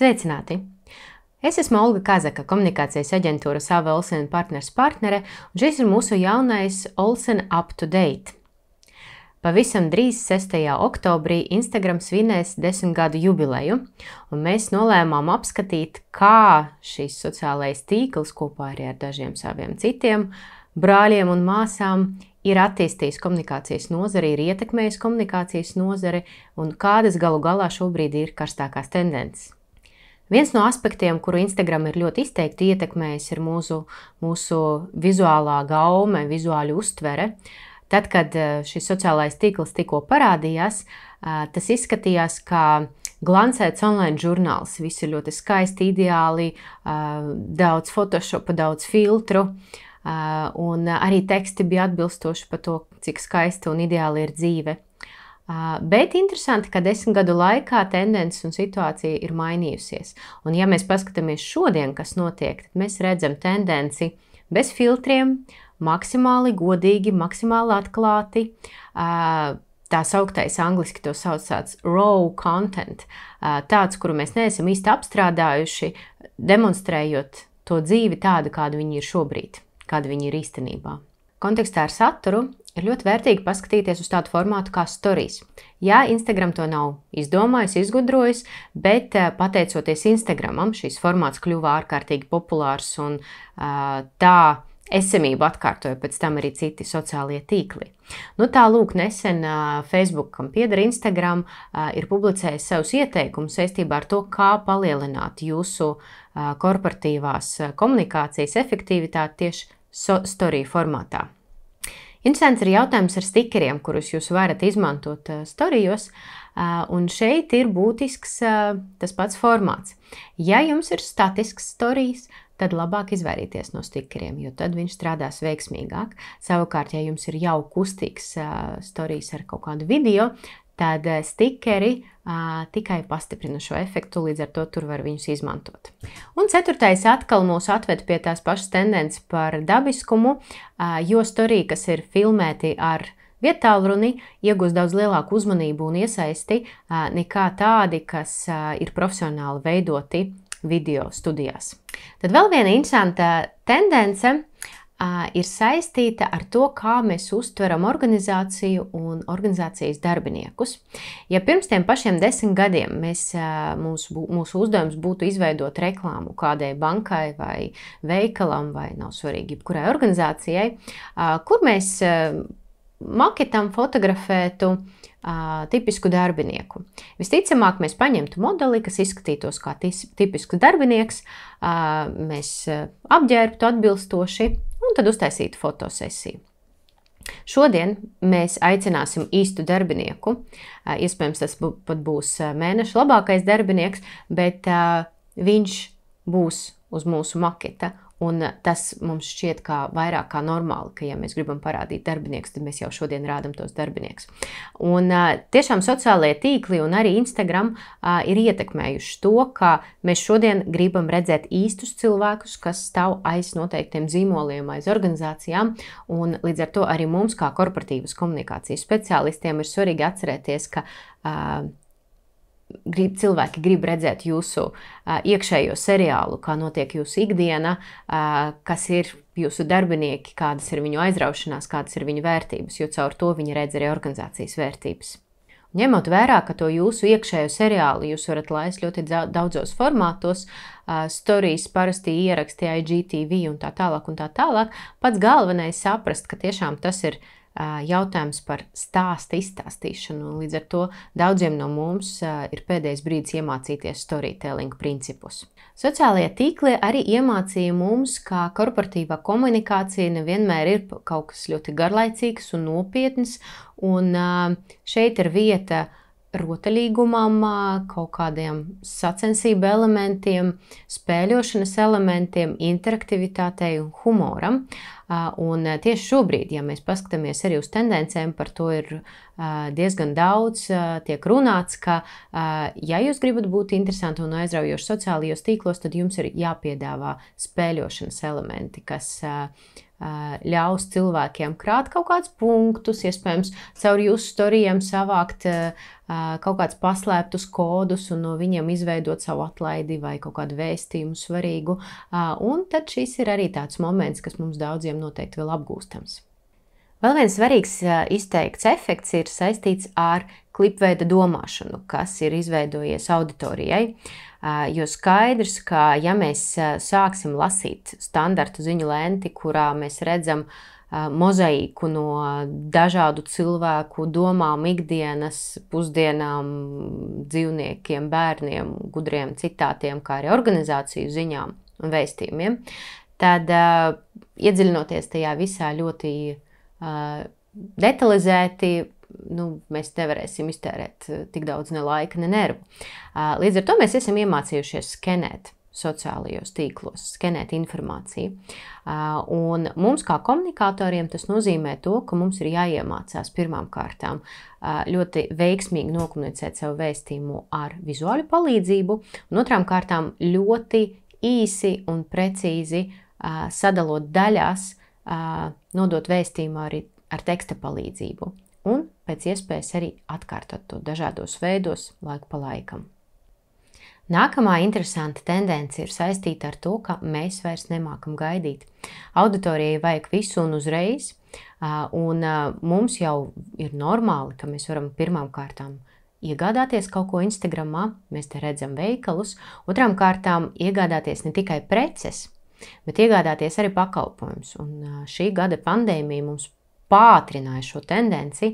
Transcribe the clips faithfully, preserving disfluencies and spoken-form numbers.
Sveicināti! Es esmu Olga Kazaka, komunikācijas aģentūras A V Olsen partners partnere, un šis ir mūsu jaunais Olsen Up to Date. Pavisam drīz sestajā oktobrī Instagram svinēs desmit gadu jubileju, un mēs nolēmām apskatīt, kā šis sociālais tīkls kopā arī ar dažiem saviem citiem brāļiem un māsām ir attīstījis komunikācijas nozari, ir ietekmējis komunikācijas nozari un kādas galu galā šobrīd ir karstākās tendences. Viens no aspektiem, kuru Instagram ir ļoti izteikti ietekmējis, ir mūsu, mūsu vizuālā gaume, vizuāļu uztvere. Tad, kad šis sociālais tīkls tikko parādījās, tas izskatījās kā glancēts online žurnāls. Viss ir ļoti skaisti, ideāli, daudz photoshopa, daudz filtru, un arī teksti bija atbilstoši par to, cik skaista un ideāli ir dzīve. Bet interesanti, ka desmit gadu laikā tendences un situācija ir mainījusies. Un ja mēs paskatāmies šodien, kas notiek, tad mēs redzam tendenci bez filtriem, maksimāli godīgi, maksimāli atklāti. Tā sauktais angliski to sauc tāds raw content, tāds, kuru mēs neesam īsti apstrādājuši, demonstrējot to dzīvi tādu, kāda viņi ir šobrīd, kāda viņi ir īstenībā. Kontekstā ar saturu ir ļoti vērtīgi paskatīties uz tādu formātu kā stories. Jā, Instagram to nav izdomājis, izgudrojis, bet pateicoties Instagramam, šīs formāts kļuva ārkārtīgi populārs un tā esamību atkārtoja pēc tam arī citi sociālie tīkli. Nu tā lūk, nesen Facebook, kam pieder Instagram, ir publicējis savus ieteikumus saistībā ar to, kā palielināt jūsu korporatīvās komunikācijas efektivitāti tieši story formātā. Interesants ir jautājums ar stikeriem, kurus jūs varat izmantot storijos, un šeit ir būtisks tas pats formāts. Ja jums ir statisks storijas, tad labāk izvairīties no stikeriem, jo tad viņš strādās veiksmīgāk. Savukārt, ja jums ir jau kustīgs storijas ar kaut kādu video, tad stikeri tikai pastiprina šo efektu, līdz ar to tur var viņus izmantot. Un ceturtais atkal mūs atved pie tās pašas tendences par dabiskumu, jo storija, kas ir filmēti ar vietālruni, iegūst daudz lielāku uzmanību un iesaisti nekā tādi, kas ir profesionāli veidoti video studijās. Tad vēl viena interesanta tendence uh, ir saistīta ar to, kā mēs uztveram organizāciju un organizācijas darbiniekus. Ja pirms tiem pašiem desmit gadiem mēs, uh, mūsu, mūsu uzdevums būtu izveidot reklāmu kādai bankai vai veikalam vai nav svarīgi jebkurai organizācijai, uh, kur mēs uh, maketam fotografētu Uh, tipisku darbinieku. Visticamāk, mēs paņemtu modeli, kas izskatītos kā tipisks darbinieks, uh, mēs uh, apģērbtu atbilstoši un tad uztaisītu fotosesiju. Šodien mēs aicināsim īstu darbinieku. Uh, iespējams, tas bū, pat būs mēneša labākais darbinieks, bet uh, viņš būs uz mūsu maketa. Un tas mums šķiet kā vairāk kā normāli, ka ja mēs gribam parādīt darbinieks, tad mēs jau šodien rādam tos darbinieks. Un tiešām sociālajie tīkli un arī Instagram ir ietekmējuši to, ka mēs šodien gribam redzēt īstus cilvēkus, kas stāv aiz noteiktiem zīmoliem, aiz organizācijām. Un līdz ar to arī mums, kā korporatīvas komunikācijas speciālistiem, ir svarīgi atcerēties, ka Grib, cilvēki grib redzēt jūsu uh, iekšējo seriālu, kā notiek jūsu ikdiena, uh, kas ir jūsu darbinieki, kādas ir viņu aizraušanās, kādas ir viņu vērtības, jo caur to viņi redz arī organizācijas vērtības. Un ņemot vērā, ka to jūsu iekšējo seriālu jūs varat laist ļoti daudzos formātos, uh, stories, parasti ieraksti, I G T V un tā tālāk un tā tālāk, pats galvenais saprast, ka tiešām tas ir jautājums par stāsta izstāstīšanu, un līdz ar to daudziem no mums ir pēdējais brīdis iemācīties storytelling principus. Sociālajie tīkli arī iemācīja mums, ka korporatīvā komunikācija nevienmēr ir kaut kas ļoti garlaicīgs un nopietns, un šeit ir vieta rotaļīgumam, kaut kādiem sacensību elementiem, spēļošanas elementiem, interaktivitātei un humoram. Un tieši šobrīd, ja mēs paskatāmies arī uz tendencēm, par to ir diezgan daudz, tiek runāts, ka ja jūs gribat būt interesanti un aizraujoši sociālajos tīklos, tad jums ir jāpiedāvā spēļošanas elementi, kas ļaus cilvēkiem krāt kaut kādus punktus, iespējams, caur jūsu storijiem savākt kaut kādus paslēptus kodus un no viņiem izveidot savu atlaidi vai kaut kādu vēstījumu svarīgu. Un tad šis ir arī tāds moments, kas mums daudziem noteikti vēl apgūstams. Vēl viens svarīgs izteikts efekts ir saistīts ar klipveida domāšanu, kas ir izveidojies auditorijai. Jo skaidrs, ka ja mēs sāksim lasīt standartu ziņu lenti, kurā mēs redzam mozaīku no dažādu cilvēku domām, ikdienas, pusdienām, dzīvniekiem, bērniem, gudriem citātiem, kā arī organizāciju ziņām un vēstījumiem, tad iedziļinoties tajā visā ļoti detalizēti, nu, mēs nevarēsim iztērēt tik daudz ne laika, ne nervu. Līdz ar to mēs esam iemācījušies skenēt sociālajos tīklos, skenēt informāciju. Un mums kā komunikatoriem tas nozīmē to, ka mums ir jāiemācās pirmām kārtām ļoti veiksmīgi nokomunicēt savu vēstījumu ar vizuālu palīdzību, un otrām kārtām ļoti īsi un precīzi sadalot daļās, nodot vēstījumu arī ar teksta palīdzību un pēc iespējas arī atkārtot to dažādos veidos laiku pa laikam. Nākamā interesanta tendence ir saistīta ar to, ka mēs vairs nemākam gaidīt. Auditorijai vajag visu un uzreiz, un mums jau ir normāli, ka mēs varam pirmām kārtām iegādāties kaut ko Instagramā, mēs te redzam veikalus, otrām kārtām iegādāties ne tikai preces, bet iegādāties arī pakalpojumus. Un šī gada pandēmija mums pātrināja šo tendenci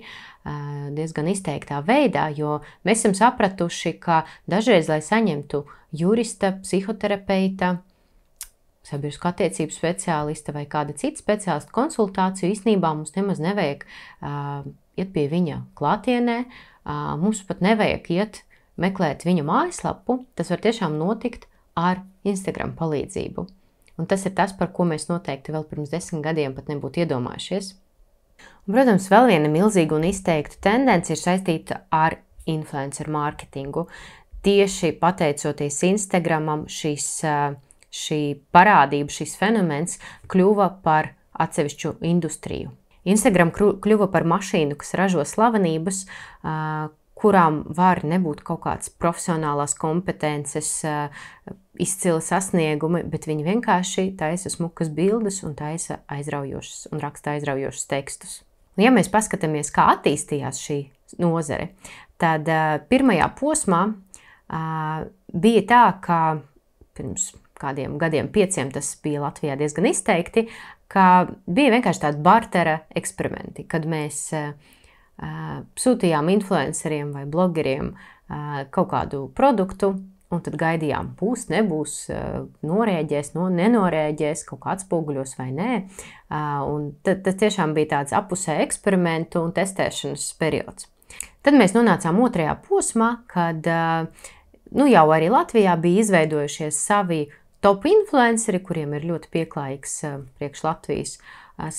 diezgan izteiktā veidā, jo mēs esam sapratuši, ka dažreiz, lai saņemtu jurista, psihoterapeita, sabiedrisku attiecību speciālista vai kāda cita speciālista konsultāciju, īstenībā mums nemaz nevajag iet pie viņa klātienē, mums pat nevajag iet meklēt viņa mājaslapu, tas var tiešām notikt ar Instagram palīdzību. Un tas ir tas, par ko mēs noteikti vēl pirms desmit gadiem pat nebūtu iedomājušies. Un, protams, vēl viena milzīga un izteikta tendence ir saistīta ar influencer mārketingu. Tieši pateicoties Instagramam, šis, šī parādība, šis fenomens kļuva par atsevišķu industriju. Instagram kļuva par mašīnu, kas ražo slavenības, kurām var nebūt kaut kāds profesionālās kompetences, izcili sasniegumi, bet viņi vienkārši taisa smukas bildes un taisa aizraujošas un raksta aizraujošas tekstus. Un ja mēs paskatāmies, kā attīstījās šī nozare, tad pirmajā posmā bija tā, ka pirms kādiem gadiem pieciem tas bija Latvijā diezgan izteikti, ka bija vienkārši tādi bartera eksperimenti, kad mēs sūtījām influenceriem vai blogeriem kaut kādu produktu, un tad gaidījām, būs, nebūs, norēģēs, no, nenorēģēs, kaut kā atspoguļos vai nē. Un tad, tas tiešām bija tāds apusē eksperimentu un testēšanas periods. Tad mēs nonācām otrajā posmā, kad nu, jau arī Latvijā bija izveidojušies savi top influenceri, kuriem ir ļoti pieklājīgs priekš Latvijas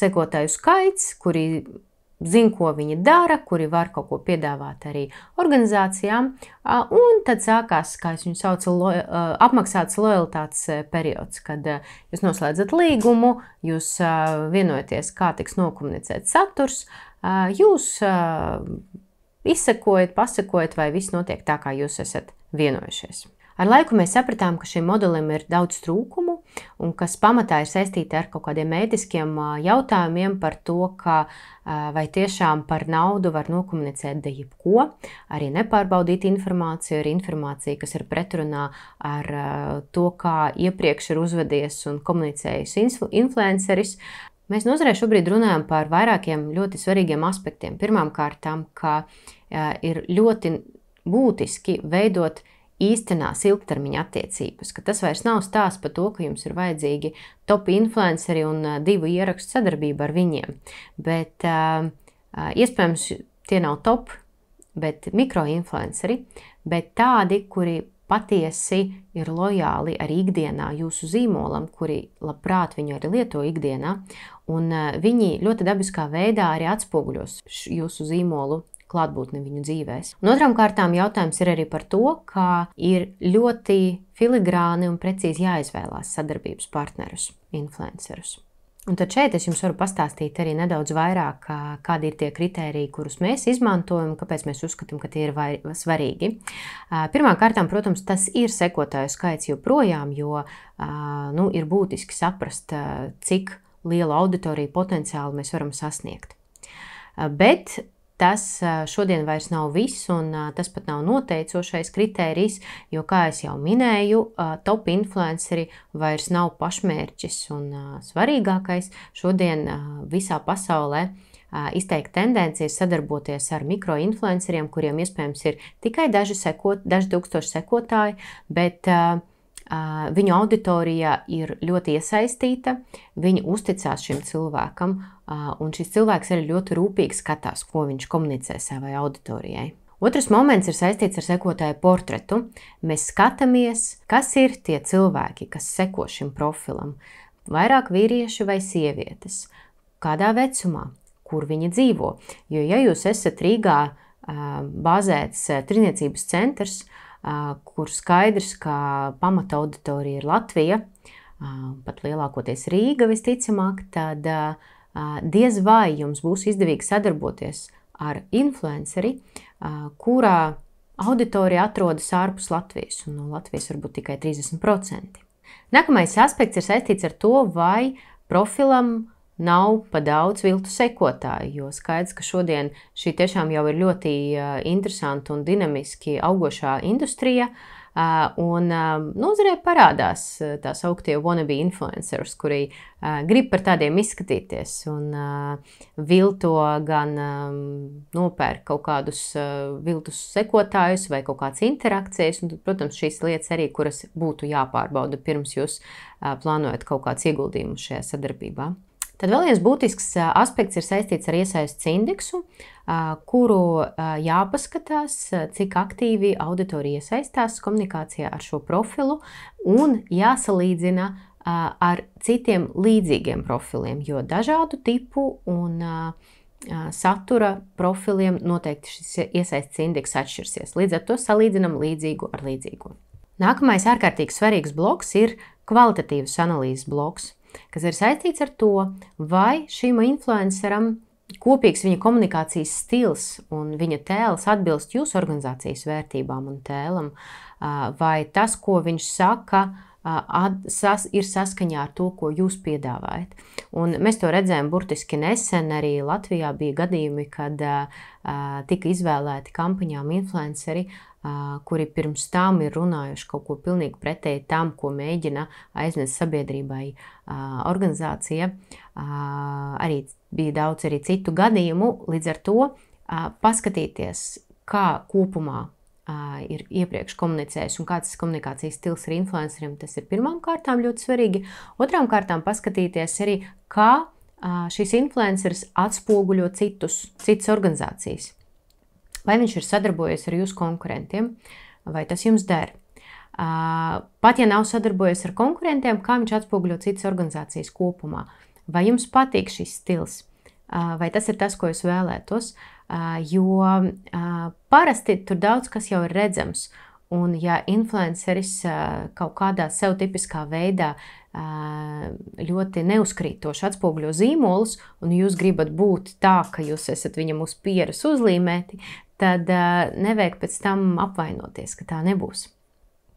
sekotāju skaits, kuri zina, ko viņi dara, kuri var kaut ko piedāvāt arī organizācijām, un tad sākās, kā es viņu saucu, lo, apmaksāts lojalitātes periods, kad jūs noslēdzat līgumu, jūs vienojaties, kā tiks nokomunicēts saturs, jūs izsekojat, pasakojat, vai viss notiek tā, kā jūs esat vienojušies. Ar laiku mēs sapratām, ka šim modelim ir daudz trūkumu un kas pamatā ir saistīti ar kaut kādiem ētiskiem jautājumiem par to, ka vai tiešām par naudu var nokomunicēt de jebko, arī nepārbaudīt informāciju, ar informāciju, kas ir pretrunā ar to, kā iepriekš ir uzvedies un komunicējis influenceris. Mēs nozarē šobrīd runājam par vairākiem ļoti svarīgiem aspektiem. Pirmām kārtām, ka ir ļoti būtiski veidot īstenās ilgtermiņa attiecības, ka tas vairs nav stāsts par to, ka jums ir vajadzīgi top influenceri un divu ierakstu sadarbību ar viņiem, bet uh, iespējams tie nav top, bet mikroinfluenceri, bet tādi, kuri patiesi ir lojāli arī ikdienā jūsu zīmolam, kuri labprāt viņu arī lieto ikdienā, un uh, viņi ļoti dabiskā veidā arī atspoguļos jūsu zīmolu klātbūtni viņu dzīvēs. Un otrām kārtām jautājums ir arī par to, ka ir ļoti filigrāni un precīzi jāizvēlās sadarbības partnerus, influencerus. Un tad šeit es jums varu pastāstīt arī nedaudz vairāk, kādi ir tie kritēriji, kurus mēs izmantojam, kāpēc mēs uzskatām, ka tie ir vai, svarīgi. Pirmām kārtām, protams, tas ir sekotāju skaits joprojām, jo nu, ir būtiski saprast, cik lielu auditoriju potenciāli mēs varam sasniegt. Bet tas šodien vairs nav viss, un tas pat nav noteicošais kritērijs, jo, kā es jau minēju, top influenceri vairs nav pašmērķis un svarīgākais. Šodien visā pasaulē izteikti tendencies sadarboties ar mikroinfluenceriem, kuriem iespējams ir tikai daži, sekot, daži tūkstoši sekotāji, bet viņu auditorija ir ļoti iesaistīta, viņi uzticās šim cilvēkam, un šis cilvēks arī ļoti rūpīgi skatās, ko viņš komunicē savai auditorijai. Otrs moments ir saistīts ar sekotāju portretu. Mēs skatāmies, kas ir tie cilvēki, kas seko šim profilam. Vairāk vīrieši vai sievietes, kādā vecumā, kur viņi dzīvo. Jo, ja jūs esat Rīgā bāzēts tirdzniecības centrs, kur skaidrs, ka pamata auditorija ir Latvija, pat lielākoties Rīga visticamāk, tad diez vai jums būs izdevīgi sadarboties ar influenceri, kurā auditorija atrodas ārpus Latvijas, un no Latvijas varbūt tikai trīsdesmit procenti. Nākamais aspekts ir saistīts ar to, vai profilam nav pa daudz viltu sekotāju, jo skaidrs, ka šodien šī tiešām jau ir ļoti interesanta un dinamiski augošā industrija, un nozarē parādās tās augtie wannabe influencers, kuri grib par tādiem izskatīties un vilto gan nopērk kaut kādus viltus sekotājus vai kaut kādas interakcijas, un, protams, šīs lietas arī, kuras būtu jāpārbauda pirms jūs plānojat kaut kāds ieguldījumus šajā sadarbībā. Tad vēl viens būtisks aspekts ir saistīts ar iesaistes indeksu, kuru jāpaskatās, cik aktīvi auditorija iesaistās komunikācijā ar šo profilu, un jāsalīdzina ar citiem līdzīgiem profiliem, jo dažādu tipu un satura profiliem noteikti šis iesaistes indeks atšķirsies. Līdz ar to salīdzinam līdzīgu ar līdzīgu. Nākamais ārkārtīgi svarīgs bloks ir kvalitatīvas analīzes bloks, kas ir saistīts ar to, vai šim influenceram kopīgs viņa komunikācijas stils un viņa tēls atbilst jūsu organizācijas vērtībām un tēlam, vai tas, ko viņš saka, ir saskaņā ar to, ko jūs piedāvājat. Un mēs to redzējām burtiski nesen, arī Latvijā bija gadījumi, kad tika izvēlēti kampaņām influenceri, kuri pirms tam ir runājuši kaut ko pilnīgi pretēji tam, ko mēģina aiznest sabiedrībai organizācija. Arī bija daudz arī citu gadījumu, līdz ar to paskatīties, kā kopumā ir iepriekš komunicējis un kāds komunikācijas stils ir influenceriem, tas ir pirmām kārtām ļoti svarīgi. Otrām kārtām paskatīties arī, kā šis influenceris atspoguļo citus, citas organizācijas. Vai viņš ir sadarbojies ar jūsu konkurentiem, vai tas jums der. Pat ja nav sadarbojies ar konkurentiem, kā viņš atspoguļo citas organizācijas kopumā. Vai jums patīk šis stils, vai tas ir tas, ko jūs vēlētos, jo parasti tur daudz kas jau ir redzams. Un ja influenceris kaut kādā sev tipiskā veidā ļoti neuzkrītoši atspoguļo zīmolus, un jūs gribat būt tā, ka jūs esat viņam uz pieres uzlīmēti, tad nevajag pēc tam apvainoties, ka tā nebūs.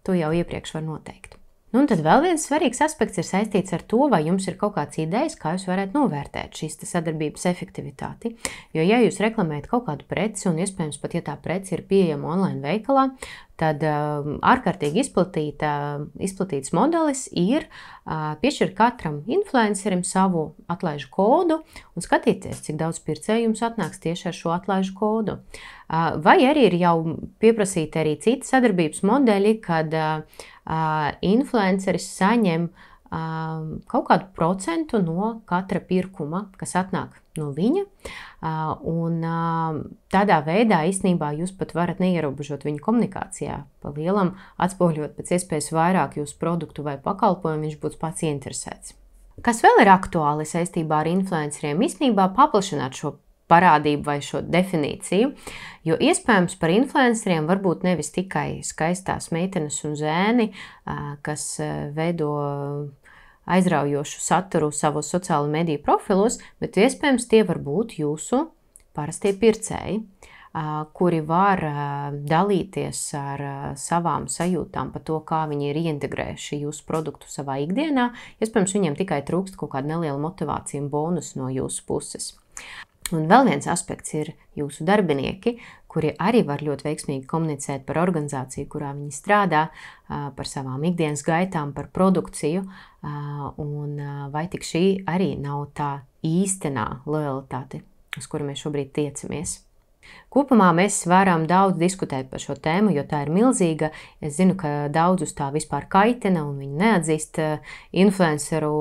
To jau iepriekš var noteikt. Nu, un tad vēl viens svarīgs aspekts ir saistīts ar to, vai jums ir kaut kāds idejas, kā jūs varētu novērtēt šīs sadarbības efektivitāti. Jo, ja jūs reklamējat kaut kādu preci, un iespējams pat, ja tā preci ir pieejama online veikalā, tad uh, ārkārtīgi izplatīta, izplatīts modelis ir uh, piešķirt katram influencerim savu atlaižu kodu un skatīties, cik daudz pircēju jums atnāks tieši ar šo atlaižu kodu. Uh, vai arī ir jau pieprasīti arī citi sadarbības modeļi, kad uh, influenceris saņem uh, kaut kādu procentu no katra pirkuma, kas atnāk no viņa, uh, un uh, tādā veidā īstenībā jūs pat varat neierobežot viņu komunikācijā, pa lielam atspoguļot pēc iespējas vairāk jūsu produktu vai pakalpojumu, viņš būs pats interesēts. Kas vēl ir aktuāli saistībā ar influenceriem? Īstenībā paplašināt šo parādību vai šo definīciju, jo iespējams par influenceriem var būt nevis tikai skaistās meitenes un zēni, kas veido aizraujošu saturu savos sociālo mediju profilos, bet iespējams tie var būt jūsu parastie pircēji, kuri var dalīties ar savām sajūtām par to, kā viņi ir ieintegrējuši jūsu produktu savā ikdienā. Iespējams, viņiem tikai trūkst kaut kāda neliela motivācija un bonus no jūsu puses. Un vēl viens aspekts ir jūsu darbinieki, kuri arī var ļoti veiksmīgi komunicēt par organizāciju, kurā viņi strādā, par savām ikdienas gaitām, par produkciju, un vai tik šī arī nav tā īstenā lojalitāte, uz kuru mēs šobrīd tiecamies. Kopumā mēs varam daudz diskutēt par šo tēmu, jo tā ir milzīga. Es zinu, ka daudzus tā vispār kaitina un viņi neatzīst influenceru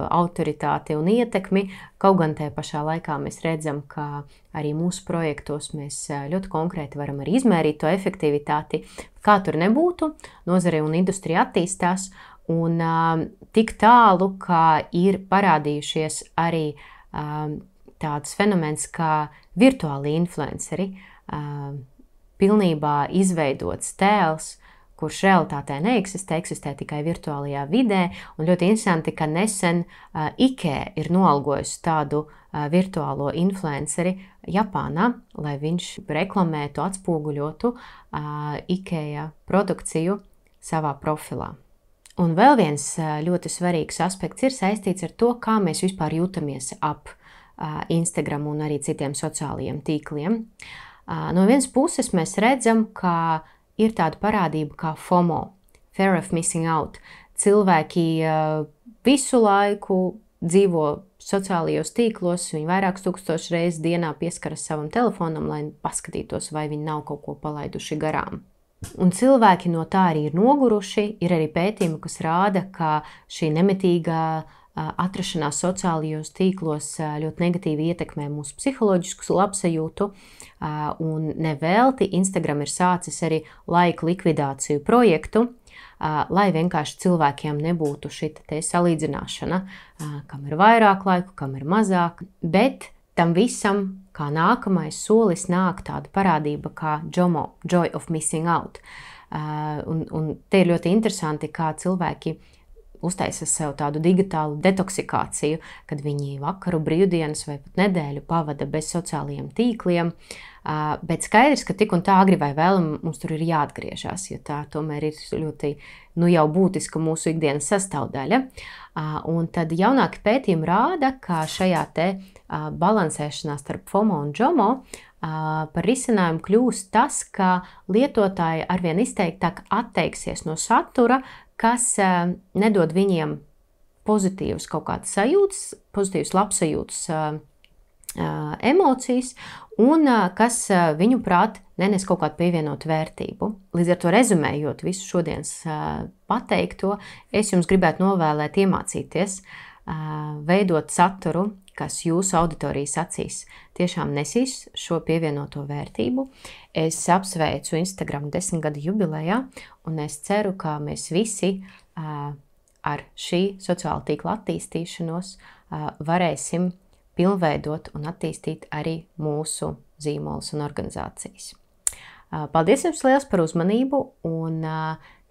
autoritāti un ietekmi. Kaut gan tajā pašā laikā mēs redzam, ka arī mūsu projektos mēs ļoti konkrēti varam arī izmērīt to efektivitāti. Kā tur nebūtu, nozare un industrija attīstās un tik tālu, ka ir parādījušies arī tāds fenomens kā virtuāli influenceri, pilnībā izveidots tēls, kurš realitātē neeksistē, eksistē tikai virtuālajā vidē, un ļoti interesanti, ka nesen IKEA ir noalgojusi tādu virtuālo influenceri Japānā, lai viņš reklamētu, atspoguļotu IKEA produkciju savā profilā. Un vēl viens ļoti svarīgs aspekts ir saistīts ar to, kā mēs vispār jūtamies ap Instagram un arī citiem sociālajiem tīkliem. No vienas puses mēs redzam, ka ir tāda parādība kā FOMO, Fear of Missing Out. Cilvēki visu laiku dzīvo sociālajos tīklos, viņi vairākus tūkstošus reizes dienā pieskaras savam telefonam, lai paskatītos, vai viņi nav kaut ko palaiduši garām. Un cilvēki no tā arī ir noguruši. Ir arī pētījumi, kas rāda, ka šī nemitīgā atrašanās sociālajos tīklos ļoti negatīvi ietekmē mūsu psiholoģisku labsajūtu, un nevelti Instagram ir sācis arī laiku likvidāciju projektu, lai vienkārši cilvēkiem nebūtu šita te salīdzināšana, kam ir vairāk laiku, kam ir mazāk, bet tam visam, kā nākamais solis, nāk tāda parādība kā JOMO, Joy of Missing Out. Un, un te ir ļoti interesanti, kā cilvēki uztaisa sev tādu digitālu detoksikāciju, kad viņi vakaru, brīvdienas vai pat nedēļu pavada bez sociālajiem tīkliem, bet skaidrs, ka tik un tā agri vai vēlam mums tur ir jāatgriežas, jo tā tomēr ir ļoti, nu jau būtiska mūsu ikdienas sastāvdaļa. Un tad jaunāki pētījumi rāda, ka šajā te balansēšanā starp FOMO un JOMO par risinājumu kļūst tas, ka lietotāji arvien izteiktāk atteiksies no satura, kas nedod viņiem pozitīvas kaut kādas sajūtas, pozitīvas labsajūtas emocijas, un kas viņu prāt nenes kaut kādu pievienotu vērtību. Līdz ar to rezumējot visu šodienas pateikto, es jums gribētu novēlēt iemācīties veidot saturu, kas jūsu auditorijas acīs tiešām nesīs šo pievienoto vērtību. Es apsveicu Instagram desmitgadu jubilejā, un es ceru, ka mēs visi ar šī sociāla tīkla attīstīšanos varēsim pilnveidot un attīstīt arī mūsu zīmolus un organizācijas. Paldies jums liels par uzmanību, un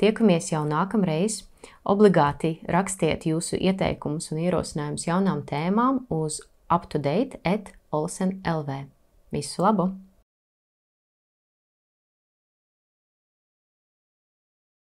tiekamies jau nākamreiz. Obligāti rakstiet jūsu ieteikumus un ierosinājumus jaunām tēmām uz up to date at olsen dot l v. Visu labu!